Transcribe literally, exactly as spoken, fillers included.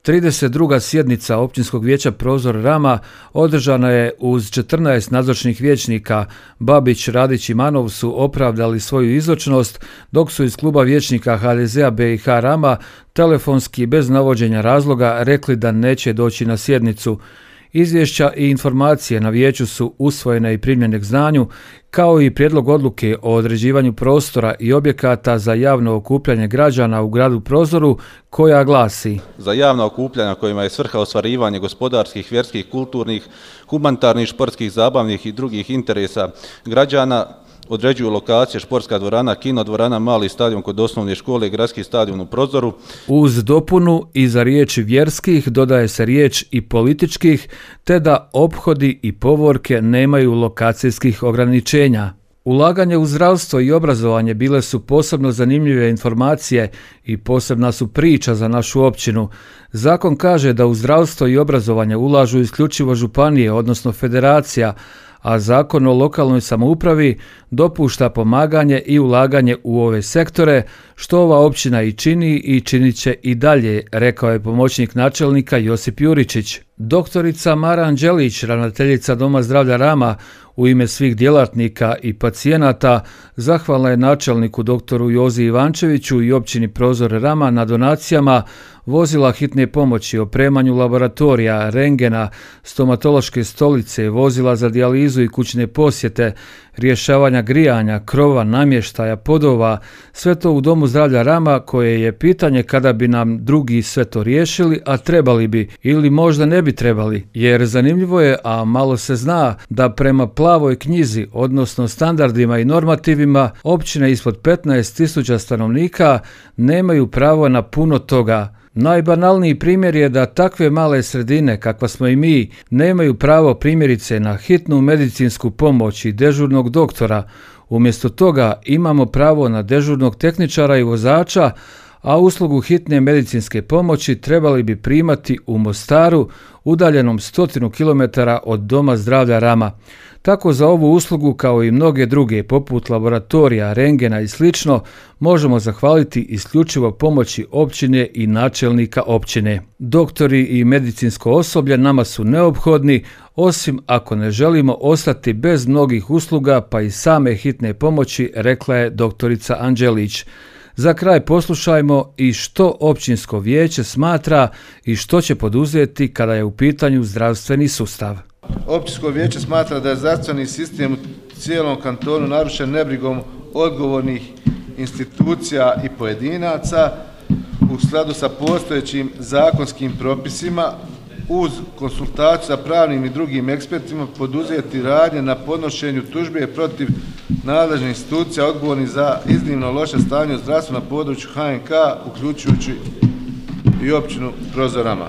trideset druga sjednica Općinskog vijeća Prozor Rama održana je uz četrnaest nazočnih vijećnika. Babić, Radić i Manov su opravdali svoju izočnost, dok su iz kluba vijećnika ha de zea be i ha Rama telefonski bez navođenja razloga rekli da neće doći na sjednicu. Izvješća i informacije na vijeću su usvojene i primljene k znanju, kao i prijedlog odluke o određivanju prostora i objekata za javno okupljanje građana u gradu Prozoru, koja glasi: za javna okupljanja kojima je svrha ostvarivanje gospodarskih, vjerskih, kulturnih, humanitarnih, športskih, zabavnih i drugih interesa građana određuju lokacije športska dvorana, kino dvorana, mali stadion kod osnovne škole i gradski stadion u Prozoru. Uz dopunu iza riječi vjerskih dodaje se riječ i političkih, te da ophodi i povorke nemaju lokacijskih ograničenja. Ulaganje u zdravstvo i obrazovanje bile su posebno zanimljive informacije i posebna su priča za našu općinu. Zakon kaže da u zdravstvo i obrazovanje ulažu isključivo županije, odnosno federacija, a Zakon o lokalnoj samoupravi dopušta pomaganje i ulaganje u ove sektore, što ova općina i čini i činit će i dalje, rekao je pomoćnik načelnika Josip Juričić. Doktorica Mara Anđelić, ravnateljica Doma zdravlja Rama, u ime svih djelatnika i pacijenata zahvalna je načelniku doktoru Jozi Ivančeviću i općini Prozor Rama na donacijama vozila hitne pomoći, opremanju laboratorija, rengena, stomatološke stolice, vozila za dijalizu i kućne posjete, rješavanja grijanja, krova, namještaja, podova, sve to u Domu zdravlja Rama, koje je pitanje kada bi nam drugi sve to riješili, a trebali bi ili možda ne bi trebali, jer zanimljivo je, a malo se zna, da prema plavoj knjizi, odnosno standardima i normativima, općine ispod petnaest tisuća stanovnika nemaju pravo na puno toga. Najbanalniji primjer je da takve male sredine, kakva smo i mi, nemaju pravo primjerice na hitnu medicinsku pomoć i dežurnog doktora. Umjesto toga imamo pravo na dežurnog tehničara i vozača, a uslugu hitne medicinske pomoći trebali bi primati u Mostaru, udaljenom stotinu kilometara od Doma zdravlja Rama. Tako za ovu uslugu, kao i mnoge druge, poput laboratorija, rengena i slično, možemo zahvaliti isključivo pomoći općine i načelnika općine. Doktori i medicinsko osoblje nama su neophodni, osim ako ne želimo ostati bez mnogih usluga, pa i same hitne pomoći, rekla je doktorica Anđelić. Za kraj poslušajmo i što općinsko vijeće smatra i što će poduzeti kada je u pitanju zdravstveni sustav. Općinsko vijeće smatra da je zdravstveni sistem u cijelom kantonu narušen nebrigom odgovornih institucija i pojedinaca u skladu sa postojećim zakonskim propisima, uz konsultaciju sa pravnim i drugim ekspertima poduzeti radnje na podnošenju tužbe protiv nadležnih institucija odgovornih za iznimno loše stanje u zdravstvu na području ha en ka, uključujući i općinu Prozor Rama.